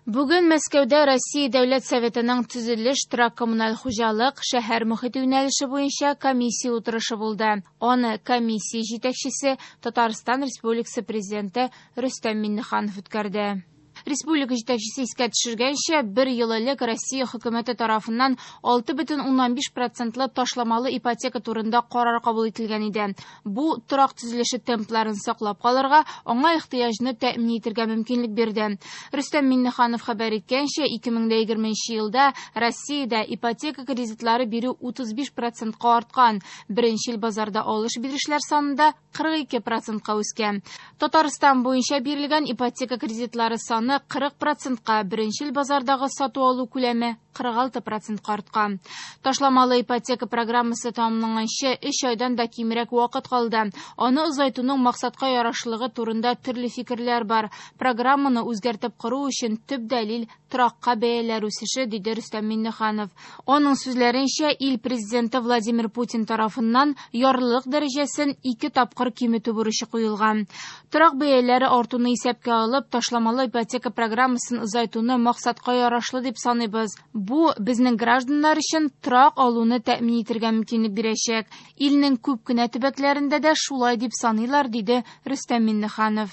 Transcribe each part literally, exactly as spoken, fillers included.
Бүген Мәскәүдә Россия Дәүләт Советының төзелеш, торак-коммуналь хуҗалык, шәһәр мохите юнәлеше буенча комиссия утырышы булды. Аны комиссия җитәкчесе Татарстан Республикасы Президенты Рөстәм Миңнеханов үткәрде. Республика җитәкчесе искә төшергәнчә, бер ел элек Россия хөкүмәте тарафыннан алты бөтен уннан биш процентлы ташламалы ипотека турында карар кабул ителгән иде. Бу торак төзелеше темпларын саклап калырга, аңа ихтыяҗны тәэмин итәргә мөмкинлек бирде. Рөстәм Миңнеханов хәбәр иткәнчә, ике мең дә егерменче елда Россиядә ипотека кредитлары бирү утыз биш процентка арткан. Беренчел базарда алыш-бирешләр саны да кырык ике процентка үскән. Татарстан буенча бирелгән ипотека кредитлары саны кырык процентка, беренчел базардагы сату алу күләме кырык алты процентка арткан. Ташламалы ипотека программасы тәмамланганчы өч айдан да кимрәк вакыт калды. Аны озайтуның максатка ярашлыгы турында төрле фикерләр бар. Программаны үзгәртеп кору өчен төп дәлил торакка бәяләр үсеше, диде Рөстәм Миңнеханов. Аның сүзләренчә, ил президенты Владимир Путин тарафыннан ярлылык дәрәҗәсен ике тапкыр киметү бурычы куелган. Торак бәяләре артуны исәпкә алып, ташламалы ипотека программасын озайтуны максатка ярашлы дип саныйбыз. Бу безнең гражданнар өчен торак алуны тәэмин итәргә мөмкинлек бирәчәк. Илнең күп кенә төбәкләрендә дә шулай дип саныйлар, диде Рөстәм Миңнеханов.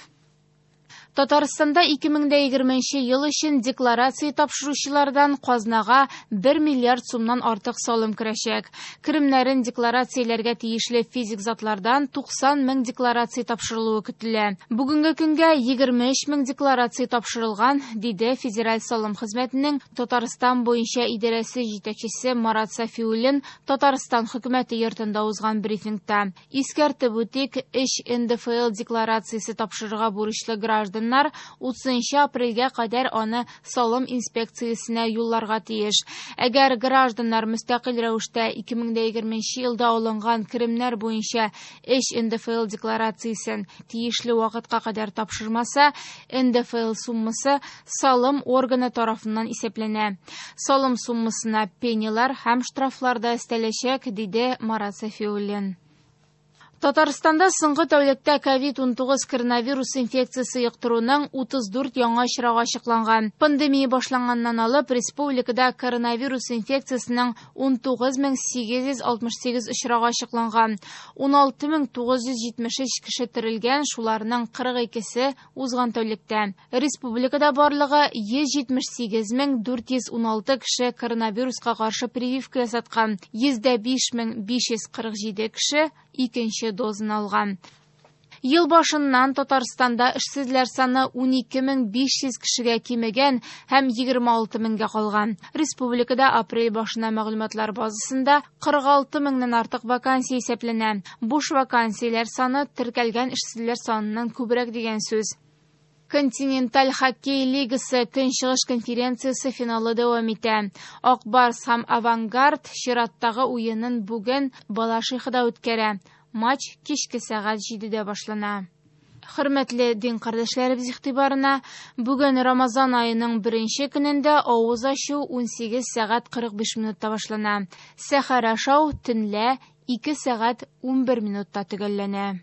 Татарстанда ике мең дә егерменче ел өчен декларация тапшыручылардан казнага бер миллиард сумнан артык салым керәчәк. Керемнәрен декларацияләргә тиешле физик затлардан туксан мең декларация тапшырылуы көтелә. Бүгенге көнгә егерме өч мең декларация тапшырылган, диде Федераль салым хезмәтенең Татарстан буенча идарәсе җитәкчесе Марат Сафиуллин Татарстан хөкүмәте йортында узган брифингта. Искәртеп үтик, өч эн дэ эф эл декларациясе тапшырырга бурычлы граждан утызынчы апрельгә кадәр аны салым инспекциясенә юлларга тиеш. Әгәр гражданнар мөстәкыйль рәвештә ике мең дә егерменче елда алынган керемнәр буенча өч эн дэ эф эл декларациясен тиешле вакытка кадәр тапшырмаса, эн дэ эф эл суммасы салым органы тарафыннан исәпләнә. Салым суммасына пенялар һәм штрафлар да өстәләчәк, диде Марат Сафиуллин. Татарстанда соңгы тәүлектә ковид унтугыз коронавирус инфекциясе йоктыруның утыз дүрт яңа очрагы ачыкланган. Пандемия башланганнан алып республикада коронавирус инфекциясенең унтугыз мең сигез йөз алтмыш сигез очрагы ачыкланган. Уналты мең тугыз йөз җитмеш өч кеше терелгән, шуларның кырык икесе узган тәүлектә. Республикада барлыгы йөз җитмеш сигез мең дүрт йөз уналты кеше коронавируска каршы прививка ясаткан. Йөз дә биш мең биш йөз кырык җиде кеше икенче дозын алган. Ел башыннан Татарстанда эшсезләр саны унике мең биш йөз кешегә кимегән һәм егерме алты меңгә калган. Республикада апрель башына мәгълүматлар базасында кырык алты меңнән артык вакансия исәпләнә. Буш вакансияләр саны теркәлгән эшсезләр саныннан күбрәк дигән сүз. Континенталь хоккей лигасы Көнчыгыш конференциясе финалы дәвам итә. Ак Барс һәм Авангард чираттагы уенын бүген Балашихада үткәрә. Матч кичке сәгать җидедә башлана. Хөрмәтле дин кардәшләребез игътибарына, бүген Рамазан аеның беренче көнендә авыз ачу унсигез сәгать кырык биш минутта башлана. Сәхәр ашау төнлә ике сәгать унбер минутта төгәлләнә.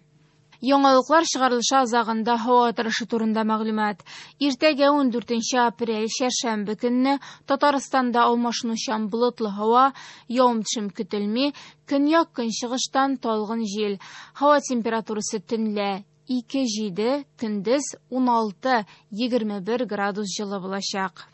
Яңалыклар чыгарылышы азагында һава торышы турында мәгълүмат. Иртәгә ундүртенче апрель чәршәмбе көнне Татарстанда алмашынучан болытлы һава, явым-төшем көтелми, көньяк-көнчыгыштан талгын җил. Һава температурасы төнлә ике җиде, көндез уналты егерме бер градус җылы булачак.